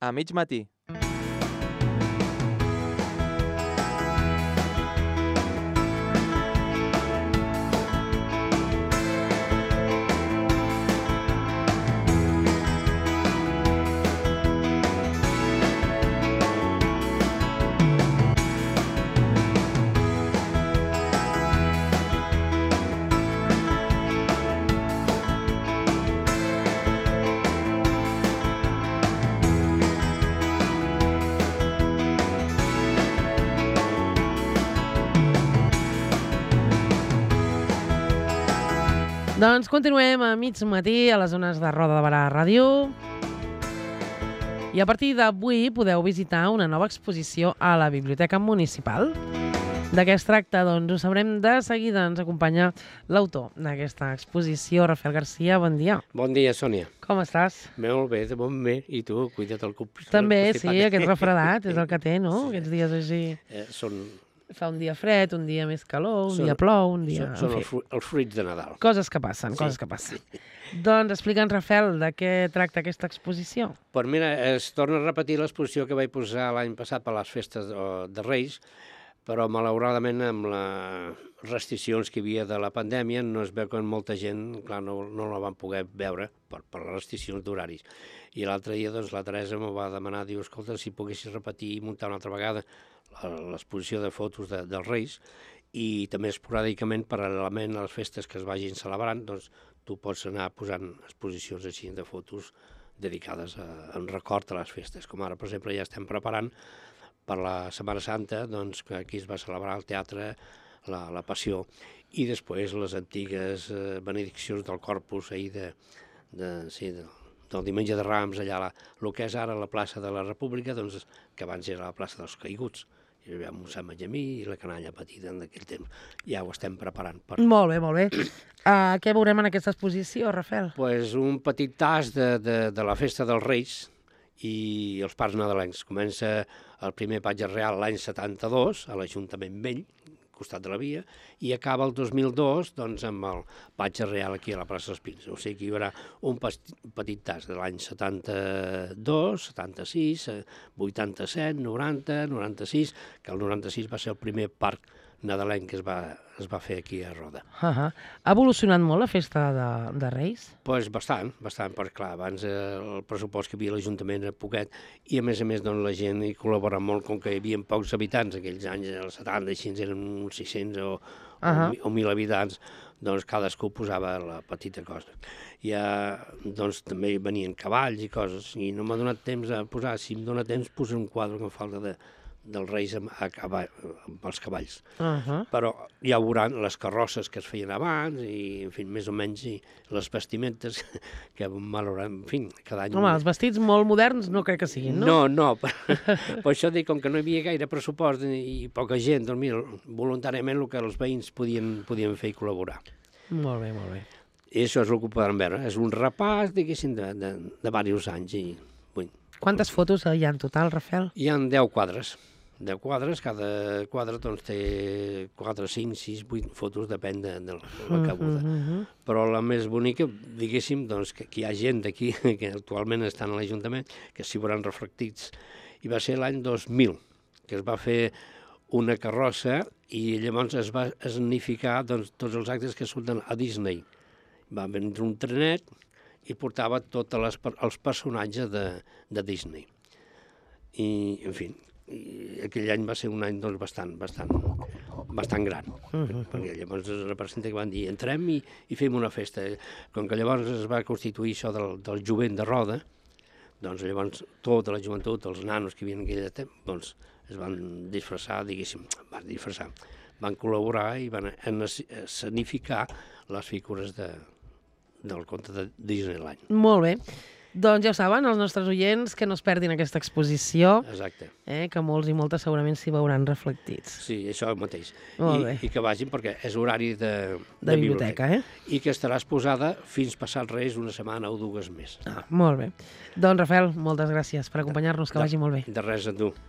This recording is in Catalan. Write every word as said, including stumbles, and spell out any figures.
A mig matí. Doncs continuem a mig matí a les zones de Roda de Barà Ràdio. I a partir d'avui podeu visitar una nova exposició a la Biblioteca Municipal. De què es tracta? Doncs ho sabrem de seguida. Ens acompanya l'autor d'aquesta exposició, Rafael Garcia. Bon dia. Bon dia, Sònia. Com estàs? Molt bé, de bon bé. I tu, cuida't el cub. També, sí, aquest refredat és el que té, no? Aquests dies així. Eh, són... Fa un dia fred, un dia més calor, un són, dia plou, un dia... Són, són els, fru els fruits de Nadal. Coses que passen, sí. coses que passen. Doncs explica'ns, Rafael, de què tracta aquesta exposició. Pues mira, es torna a repetir l'exposició que vaig posar l'any passat per les festes de, de Reis, però malauradament amb les restriccions que hi havia de la pandèmia no es veu que molta gent, clar, no, no la van poder veure per, per les restriccions d'horaris. I l'altre dia, doncs, la Teresa m'ho va demanar, diu, escolta, si poguessis repetir i muntar una altra vegada l'exposició de fotos de, dels Reis i també esporàdicament, paral·lelament a les festes que es vagin celebrant, doncs tu pots anar posant exposicions així de fotos dedicades a, en record a les festes. Com ara, per exemple, ja estem preparant per la Setmana Santa, doncs, que aquí es va celebrar al teatre la, la Passió, i després les antigues eh, benediccions del Corpus ahir de, de, sí, de, del Diumenge de Rams, allà, el que és ara la plaça de la República, doncs, que abans era la plaça dels Caiguts. Hi havia un Sant Benjamí i la canalla petita en aquell temps. Ja ho estem preparant. Per... Molt bé, molt bé. Uh, què veurem en aquesta exposició, Rafael? Pues un petit tas de, de, de la festa dels Reis i els parcs nadalencs. Comença el primer patge real l'any setanta-dos, a l'Ajuntament Vell, costat de la via, i acaba el dos mil dos doncs, amb el patge real aquí a la plaça dels Pins. O sigui que hi haurà un petit tas de l'any setanta-dos, setanta-sis, vuitanta-set, noranta, noranta-sis, que el noranta-sis va ser el primer parc nadalenc que es va, es va fer aquí a Roda. Uh -huh. Ha evolucionat molt la festa de, de Reis? Doncs pues bastant, bastant, perquè clar, abans eh, el pressupost que hi havia a l'Ajuntament era poquet i a més a més doncs, la gent hi col·labora molt, com que hi havia pocs habitants, aquells anys, els setanta, així eren uns sis-cents o, uh -huh. o, o mil habitants, doncs cadascú posava la petita cosa. Ja, doncs també venien cavalls i coses, i no m'ha donat temps a posar, si em dona temps posar un quadre que em falta de dels Reis amb, a cavall, amb els cavalls. Uh -huh. Però ja veuran les carrosses que es feien abans i, en fi, més o menys, i les vestimentes que, malauradament, en fi, cada any... Home, els vestits molt moderns no crec que siguin, no? No, no. Per, per això dic, com que no hi havia gaire pressupost i poca gent, doncs mira, voluntàriament el que els veïns podien, podien fer i col·laborar. Molt bé, molt bé. I això és el que podran veure. És un repàs, diguéssim, de, de, de diversos anys. I, bueno. Quantes fotos hi ha en total, Rafael? Hi ha deu quadres. deu quadres, cada quadre doncs, té quatre, cinc, sis, vuit fotos, depèn de, de la cabuda. Uh -huh. Però la més bonica, diguéssim, doncs, que, que hi ha gent d'aquí que actualment estan a l'Ajuntament, que s'hi veuran reflectits, i va ser l'any dos mil, que es va fer una carrossa i llavors es va escenificar doncs, tots els actes que surten a Disney. Va vendre un trenet i portava tots les, els personatges de, de Disney. I, en fi, i aquell any va ser un any doncs, bastant, bastant, bastant gran, uh -huh. perquè llavors es representa que van dir entrem i, i fem una festa. Com que llavors es va constituir això del, del jovent de Roda, doncs llavors tota la joventut, els nanos que hi havia en aquell temps, doncs es van disfressar, diguéssim, van disfressar, van col·laborar i van escenificar les figures de, del conte de Disneyland. Molt bé. Doncs ja ho saben, els nostres oients, que no es perdin aquesta exposició. Exacte. Eh, que molts i moltes segurament s'hi veuran reflectits. Sí, això mateix. Molt I, bé. I que vagin perquè és horari de, de, de biblioteca. biblioteca. Eh? I que estarà exposada fins passat Reis una setmana o dues més. Ah, molt bé. Doncs, Rafael, moltes gràcies per acompanyar-nos, que de, vagi molt bé. De res a tu.